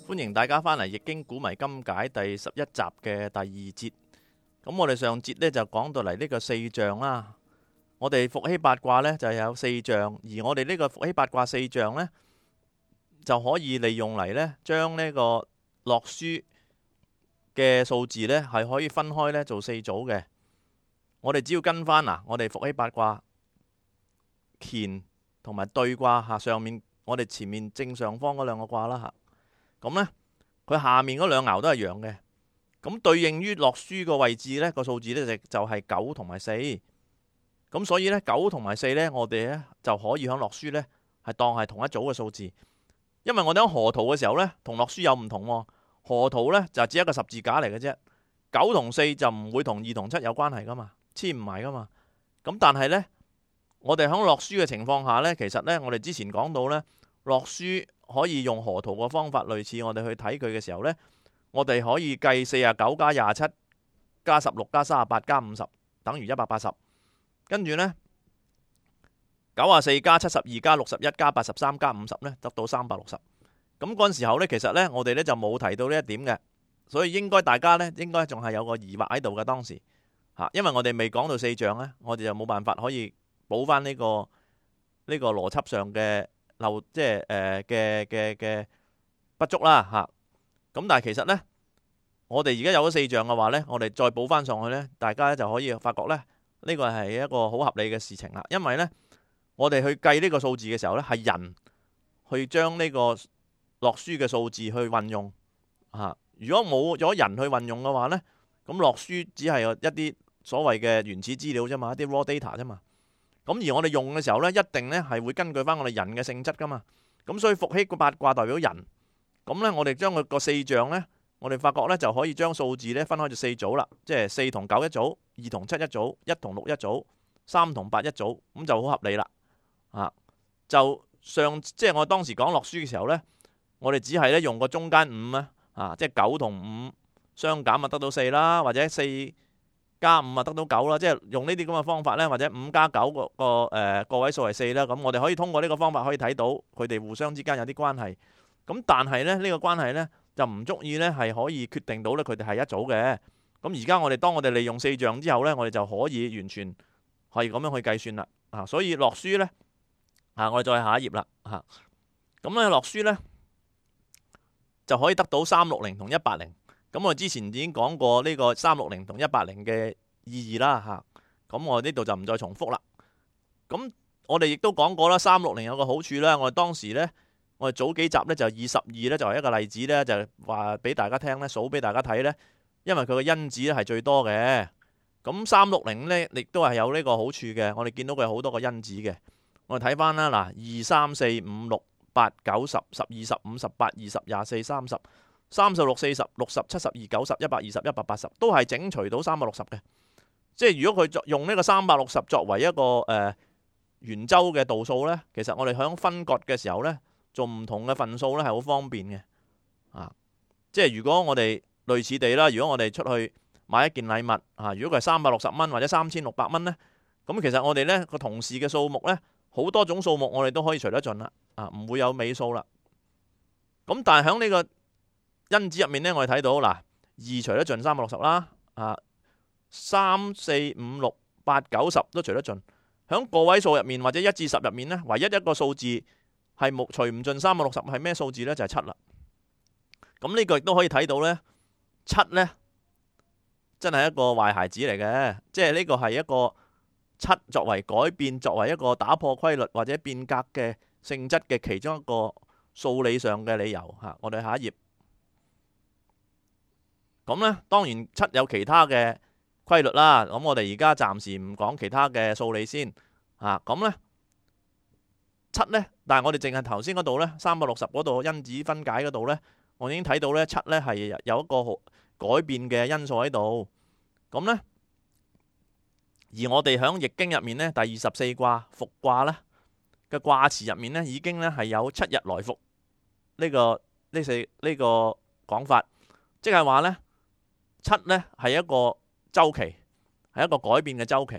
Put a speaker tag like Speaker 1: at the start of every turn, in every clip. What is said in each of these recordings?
Speaker 1: 歡迎大家返嚟《易經古謎今解》第11集嘅第2節。咁我哋上節呢就講到嚟呢個四象啦。我哋伏羲八卦呢就有四象，而我哋呢個伏羲八卦四象呢就可以利用嚟呢將呢個洛書嘅數字呢係可以分開呢做四組嘅。我哋只要跟翻我哋伏羲八卦乾同埋兌卦上面，我哋前面正上方嗰兩個卦啦咁呢，佢下面嗰兩爻都係陽嘅。咁對應於洛書個位置呢個數字呢就係9同埋4。咁所以呢9同埋4呢，我哋呢就可以喺洛書呢係當係同一組嘅數字。因為我哋喺河圖嘅時候呢，同洛書有唔同喎。河圖呢就只係一個十字架嚟嘅啫。9同4就唔會同2同7有關係噶嘛，黐唔埋噶嘛。咁但係呢，我哋喺洛書嘅情況下呢，其實呢，我哋之前講到呢，洛書可以用河圖嘅方法，類似我哋去睇佢嘅時候呢，我哋可以計49加27加16加38加50等於180，跟住呢94加72加61加83加50呢得到360。咁嗰陣時候呢，其實呢，我哋呢就冇提到呢一點嘅，所以應該大家呢應該仲係有個疑惑喺度嘅當時因為我哋未講到四象呢，我哋就冇辦法可以補翻呢個邏輯上嘅漏，即係嘅不足啦咁但係其實呢，我哋而家有咗四象嘅話呢，我哋再補翻上去呢，大家就可以發覺呢，呢個係一個好合理嘅事情啦。因為呢，我哋去計呢個數字嘅時候呢，係人去將呢個洛書嘅數字去運用如果冇咗人去運用嘅話呢，咁洛書只係一啲所謂嘅原始資料啫嘛，一啲 raw data 啫嘛。咁而我哋用嘅時候呢，一定呢係會根據翻我哋人嘅性質噶嘛。咁所以伏羲個八卦代表人，咁呢，我哋將佢個四象呢，我哋發覺呢就可以將數字呢分開做四組啦，即係4同9一組，2同7一組，1同6一組，3同8一組，咁就好合理啦。即係我當時講洛書嘅時候呢，我哋只係呢用個中間5即係9同5相減得到4啦，或者4加5得到9啦，即係用呢啲咁嘅方法呢，或者5加9個位數係4啦。咁我哋可以通過呢個方法可以睇到佢哋互相之間有啲關係。咁但係呢，呢個關係呢就唔足以呢係可以決定到呢佢哋係一組嘅。咁而家當我哋利用四象之後呢，我哋就可以完全係咁樣去計算啦。所以洛書呢，我哋再下一頁啦咁呢洛書呢就可以得到360同180。咁我之前已經講過呢個360同180嘅意義啦咁我呢度就唔再重複啦。咁我哋亦都講過啦，360有個好處啦。我哋當時呢，我哋早幾集呢就22呢就係一個例子呢，就話俾大家聽呢，數俾大家睇呢，因為佢個因子呢係最多嘅。咁360呢亦都係有呢個好處嘅。我哋見到佢有好多個因子嘅。我哋睇翻啦，2、3、4、5、6、8、9、10、12、15、18、20、24、30、36、40、60、72、90、120、180都係整除到360嘅。即係如果佢用呢個360作為一個圓周嘅度數呢，其實我哋響分割嘅時候呢，做唔同嘅份數呢係好方便嘅即係如果我哋類似地啦，如果我哋出去買一件禮物如果佢係360蚊或者3600蚊呢，咁其實我哋呢個同事嘅數目呢，好多種數目我哋都可以除得盡啦唔會有尾數啦。咁但係響呢個因子入面呢，我哋睇到2除得盡360啦3、4、5、6、8、9、10都除得盡。響個位數入面或者1至10入面呢，唯一一個數字係除唔盡360係咩數字呢？就係7啦。咁呢個亦都可以睇到呢，7呢真係一個壞孩子嚟嘅，即係呢個係一個7作為改變，作為一個打破規律或者變革嘅性質嘅其中一個數理上嘅理由我哋下一頁。咁呢，當然7有其他嘅規律啦。咁我哋而家暫時唔講其他嘅數理先咁呢7呢，但係我哋淨係頭先嗰度呢，360嗰度因子分解嗰度呢，我已經睇到呢7呢係有一個改變嘅因素喺度。咁呢，而我哋響易經入面呢，第24卦復卦呢嘅卦辭入面呢，已經呢係有7日來復呢個講法，即係話呢7呢係一個周期，係一個改變嘅周期。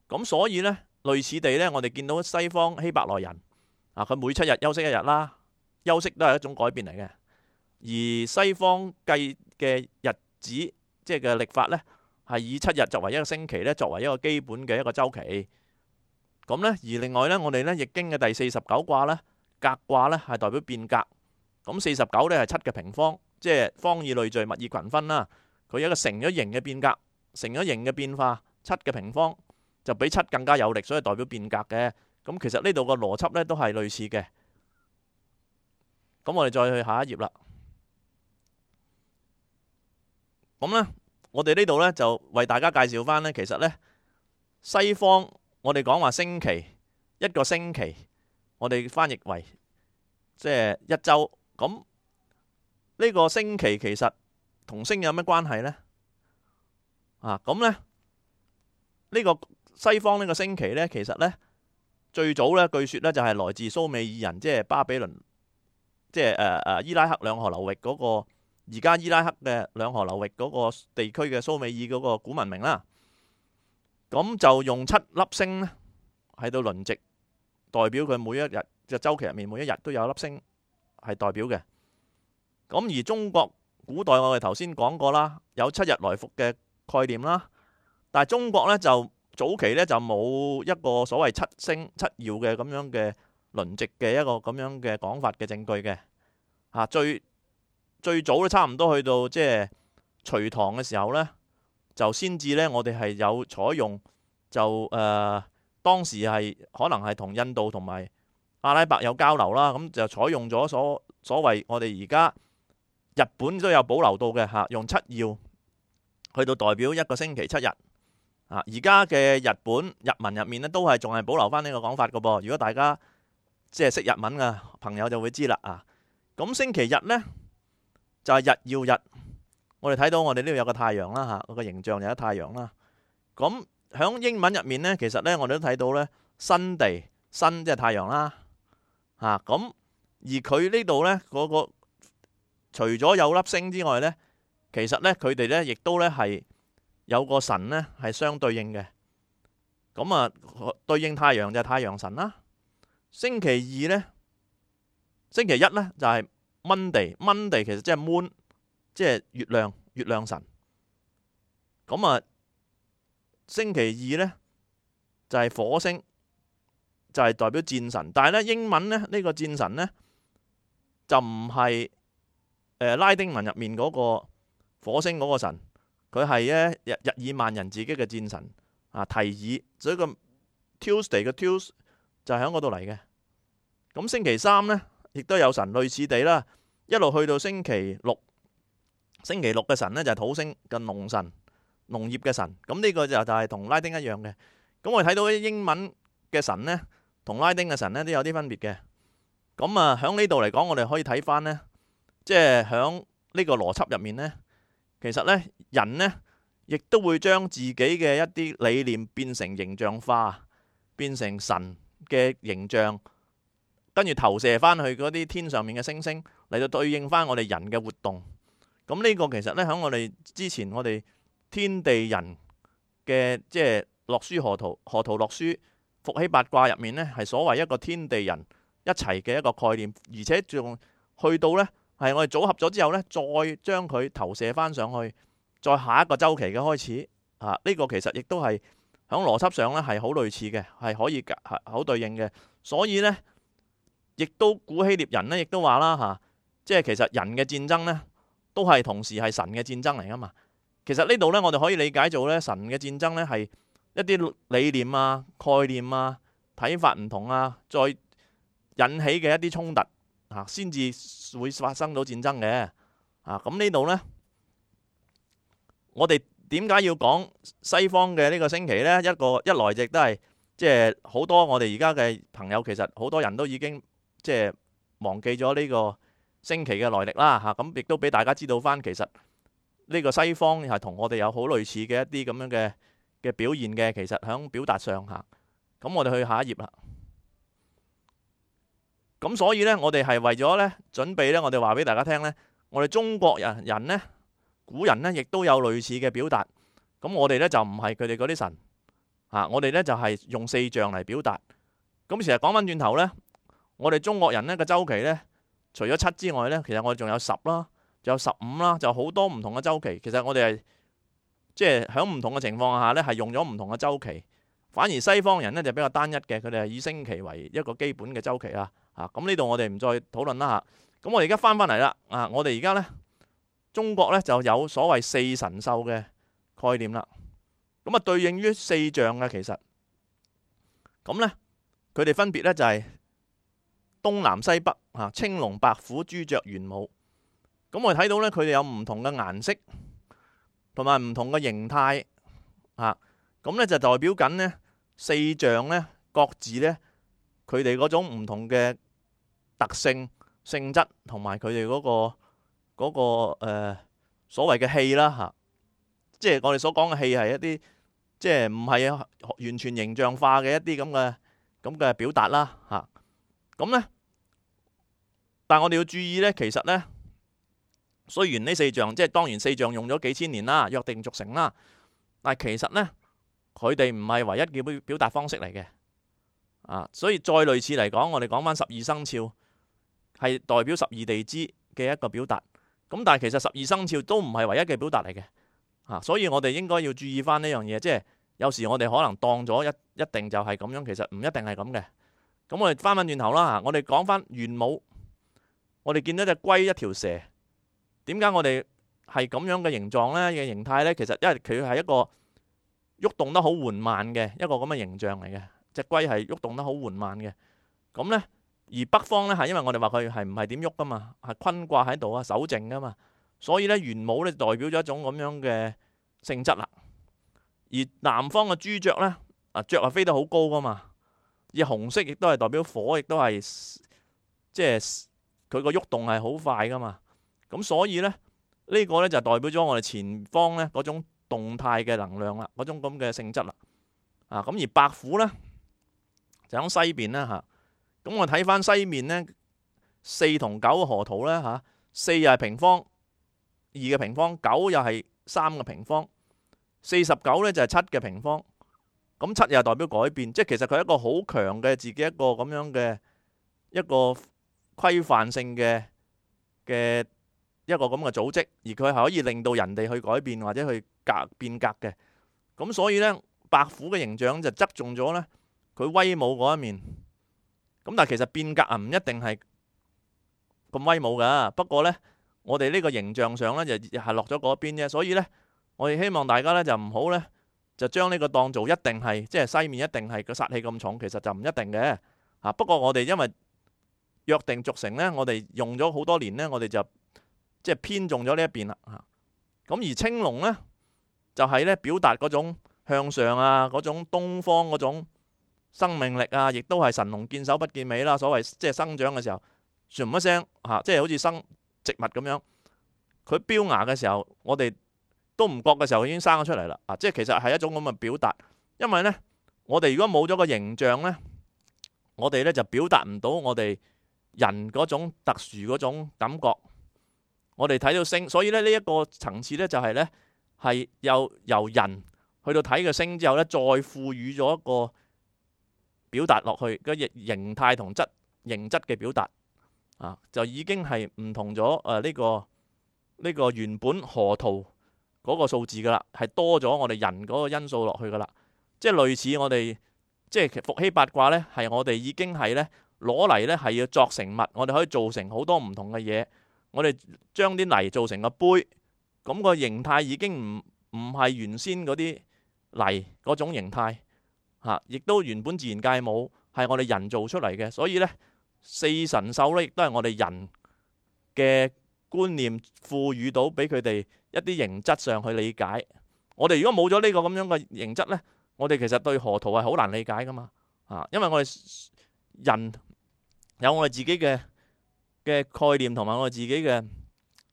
Speaker 1: 咁所以呢，類似地呢，我哋見到西方希伯來人佢每7日休息1日啦，休息都係一種改變嚟嘅。而西方計嘅日子即係嘅曆法呢，係以7日作為一個星期呢，作為一個基本嘅一個週期。咁呢，而另外呢，我哋呢易經嘅第49卦呢，革卦呢係代表變革。咁49呢係7嘅平方，即係方以類聚，物以群分啦。佢有一個成咗形嘅變革，成咗形嘅變化，7嘅平方就比7更加有力，所以代表變革嘅。咁其實呢度個邏輯呢都係類似嘅。咁我哋再去下一頁啦。咁呢，我哋呢度呢就為大家介紹翻呢，其實呢西方我哋講話星期，一個星期，我哋翻譯為即係一週。咁呢個星期其實同星有咩關係呢？咁呢，呢個西方呢個星期呢，其實呢最早呢據說呢就係來自蘇美爾人，即係巴比倫，即係伊拉克兩河流域嗰個，而家伊拉克嘅兩河流域嗰個地區嘅蘇美爾嗰個古文明啦。咁就用7粒星呢喺度輪值，代表佢每一日嘅週期入面每一日都有一粒星係代表嘅。咁而中國古代我哋頭先講過啦，有7日來復嘅概念啦。但係中國呢，就早期呢，就冇一個所謂7星7曜嘅咁樣嘅輪值嘅一個咁樣嘅講法嘅證據嘅。最早都差唔多去到即係隋唐嘅時候呢，就先至呢，我哋係有採用就當時係可能係同印度同埋阿拉伯有交流啦，咁就採用咗所謂我哋而家日本都有保留到嘅用7曜去到代表一個星期7日。而家嘅日本日文入面呢，都係仲係保留翻呢個講法嘅噃。如果大家即係識日文嘅朋友就會知啦。咁星期日呢，就係日曜日。我哋睇到我哋呢度有個太陽啦，個形象有一太陽啦。咁響英文入面呢，其實呢，我哋都睇到呢，Sunday，sun即係太陽啦。咁而佢呢度呢，嗰個除咗有粒星之外呢，其實呢，佢哋呢亦都呢係有個神呢係相對應嘅。咁對應太陽就係太陽神啦。星期二呢，星期一呢就係 Monday 其實即係 moon，即係月亮神。咁星期二呢就係火星，就係代表戰神。但係呢，英文呢，呢個戰神呢就唔係拉丁文入面嗰個火星嗰個神，佢係日耳曼人自己嘅戰神提爾，所以個 Tuesday 嘅 Tues 就係喺嗰度嚟嘅。咁星期三呢，亦都有神，類似地啦，一路去到星期六。星期六嘅神呢，就係土星嘅農神，農業嘅神。咁呢個就係同拉丁一樣嘅。咁我哋睇到啲英文嘅神呢，同拉丁嘅神呢都有啲分別嘅。咁響呢度嚟講，我哋可以睇翻呢，即係響呢個邏輯入面呢，其實呢，人呢亦都會將自己嘅一啲理念變成形象化，變成神嘅形象，跟住投射翻去嗰啲天上面嘅星星嚟到對應翻我哋人嘅活動。咁呢個其實呢，喺我哋之前我哋天地人嘅即係洛書河圖洛書伏羲八卦入面呢，係所謂一個天地人一齊嘅一個概念，而且仲去到呢，係我哋組合咗之後呢，再將佢投射翻上去，再下一個週期嘅開始。呢個其實亦都係喺邏輯上呢係好類似嘅，係可以好對應嘅。所以呢，亦都古希臘人呢亦都話啦即係其實人嘅戰爭呢，都係同時係神嘅戰爭嚟噶嘛。其實呢度呢，我哋可以理解做呢，神嘅戰爭呢係一啲理念概念睇法唔同再引起嘅一啲衝突先至會發生到戰爭嘅。咁呢度呢，我哋點解要講西方嘅呢個星期呢？一來亦都係即係好多我哋而家嘅朋友，其實好多人都已經即係忘記咗呢個星期嘅來歷啦。咁亦都俾大家知道翻，其實呢個西方係同我哋有好類似嘅一啲咁樣嘅表現嘅。其實喺表達上咁我哋去下一頁啦。咁所以呢，我哋係為咗呢準備呢，我哋話俾大家聽呢，我哋中國人呢，古人呢亦都有類似嘅表達。咁我哋呢就唔係佢哋嗰啲神我哋呢就係用四象嚟表達。咁其實講翻轉頭呢，我哋中國人呢個週期呢，除咗七之外呢，其實我哋仲有10啦，仲有15啦，就好多唔同嘅周期。其實我哋係即係喺唔同嘅情況下呢，係用咗唔同嘅周期。反而西方人呢，就比較單一嘅，佢哋係以星期為一個基本嘅周期啦。咁呢度我哋唔再討論啦嚇。咁我哋而家翻嚟啦。我哋而家呢，中國呢就有所謂四神獸嘅概念啦。咁對應於四象嘅其實，咁呢，佢哋分別呢就係東南西北青龍白虎朱雀玄武。咁我哋睇到呢，佢哋有唔同嘅顏色同埋唔同嘅形態咁呢就代表緊呢四象呢各自呢，佢哋嗰種唔同嘅特性、性質同埋佢哋嗰個所謂嘅氣啦即係我哋所講嘅氣係一啲即係唔係完全形象化嘅一啲咁嘅表達啦咁呢，但係我哋要注意呢，其實呢，雖然呢四象即係當然四象用咗幾千年啦，約定俗成啦，但係其實呢，佢哋唔係唯一嘅表達方式嚟嘅所以再類似嚟講，我哋講翻12生肖係代表12地支嘅一個表達。咁但係其實12生肖都唔係唯一嘅表達嚟嘅所以我哋應該要注意翻呢樣嘢，即係有時我哋可能當咗一定就係咁樣，其實唔一定係咁嘅。咁我哋翻轉頭啦我哋講翻玄武，我哋見到隻龜一條蛇，點解我哋係咁樣嘅形狀呢？嘅形態呢？其實因為佢係一個喐動得好緩慢嘅一個咁嘅形象嚟嘅，隻龜係喐動得好緩慢嘅。咁呢，而北方呢，係因為我哋話佢係唔係點喐噶嘛，係坤卦喺度守靜噶嘛，所以呢，玄武呢代表咗一種咁樣嘅性質啦。而南方嘅朱雀呢，雀係飛得好高噶嘛，而紅色亦都係代表火，亦都係即係佢個喐動係好快噶嘛。咁所以呢，呢個呢就代表咗我哋前方呢嗰種動態嘅能量啦，嗰種咁嘅性質啦。咁而白虎呢，就喺西邊啦咁我睇翻西面呢，4同9河圖呢4又係平方，2嘅平方，9又係3嘅平方，49呢就係7嘅平方。咁7又代表改變，即係其實佢係一個好強嘅自己一個咁樣嘅一個規範性嘅一個咁嘅組織，而佢係可以令到人哋去改變或者去變革嘅。咁所以呢，白虎嘅形象就側重咗呢佢威武嗰一面。咁但係其實變革唔一定係咁威武噶。不過呢，我哋呢個形象上呢，就係落咗嗰邊啫。所以呢，我哋希望大家呢，就唔好呢，就將呢個當做一定係即係西面一定係個殺氣咁重，其實就唔一定嘅不過我哋因為約定俗成呢，我哋用咗好多年呢，我哋就即係偏重咗呢一邊啦咁而青龍呢，就係呢表達嗰種向上嗰種東方嗰種生命力亦都係神龍見首不見尾啦。所謂即係生長嘅時候，唰一聲即係好似生植物咁樣，佢標芽嘅時候，我哋都唔覺嘅時候已經生咗出嚟啦。即係其實係一種咁嘅表達。因為呢，我哋如果冇咗個形象呢，我哋呢就表達唔到我哋人嗰種特殊嗰種感覺。我哋睇到星，所以呢一個層次呢，就係呢係由人去到睇個星之後呢，再賦予咗一個表達落去個形態同形質嘅表達就已經係唔同咗呢個原本河圖嗰個數字噶啦，係多咗我哋人嗰個因素落去噶啦。即係類似我哋即係伏羲八卦呢，係我哋已經係呢攞嚟呢係要作成物，我哋可以做成好多唔同嘅嘢。我哋將啲泥做成個杯，咁個形態已經唔係原先嗰啲泥嗰種形態亦都原本自然界冇，係我哋人做出嚟嘅。所以呢，四神獸呢亦都係我哋人嘅觀念賦予到俾佢哋一啲形質上去理解。我哋如果冇咗呢個咁樣嘅形質呢，我哋其實對河圖係好難理解噶嘛因為我哋人有我哋自己嘅概念同埋我哋自己嘅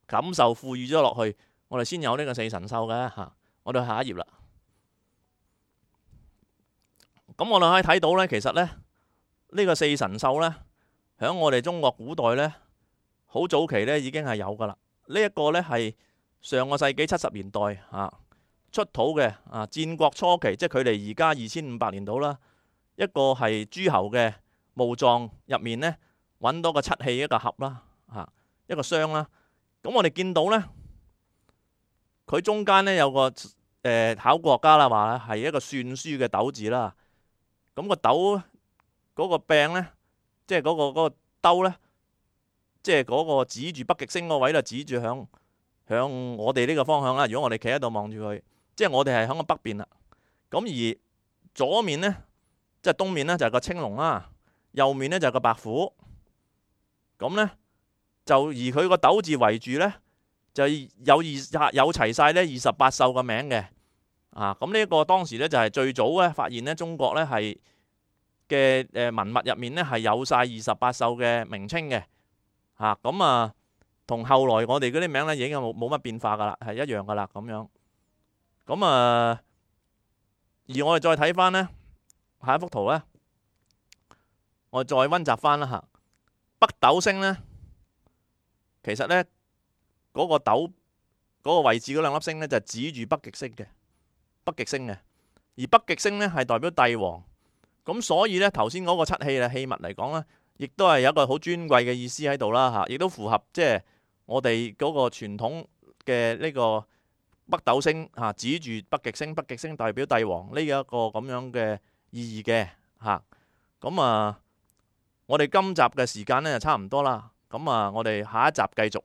Speaker 1: 感受賦予咗落去，我哋先有呢個四神獸嘅我哋去下一頁啦。咁我哋可以睇到呢，其實呢，呢個四神獸呢，喺我哋中國古代呢，好早期呢已經係有噶啦。呢一個呢係上個世紀70年代出土嘅戰國初期，即係距離而家2500年到啦。一個係諸侯嘅墓葬入面呢，揾到個漆器一個盒啦嚇，一個雙啦。咁我哋見到呢，佢中間呢有個考古學家啦話係一個算書嘅斗字啦。咁個斗嗰個柄呢，即係嗰個兜呢，即係嗰個指住北極星嗰位就指住向我哋呢個方向啦。如果我哋企喺度望住佢，即係我哋係響個北邊啦。咁而左面呢，即係東面呢，就係個青龍啦，右面呢，就係個白虎。咁呢，就而佢個斗字圍住呢，就有齊晒呢28獸嘅名嘅。咁呢一個當時呢，就係最早咧發現呢中國呢係嘅文物入面呢係有晒28獸嘅名稱嘅。咁同後來我哋嗰啲名呢已經冇乜變化噶啦，係一樣噶啦咁樣。咁而我哋再睇翻呢下一幅圖呢，我哋再溫習翻啦嚇。北斗星呢，其實呢嗰個斗嗰個位置嗰兩粒星呢，就指住北極星嘅。而北極星呢係代表帝王，咁所以呢頭先嗰個漆器器物嚟講呢，亦都係有一個好尊貴嘅意思喺度啦嚇，亦都符合即係我哋嗰個傳統嘅呢個北斗星嚇，指住北極星，北極星代表帝王呢一個咁樣嘅意義嘅嚇。咁我哋今集嘅時間呢就差唔多啦，咁我哋下一集繼續。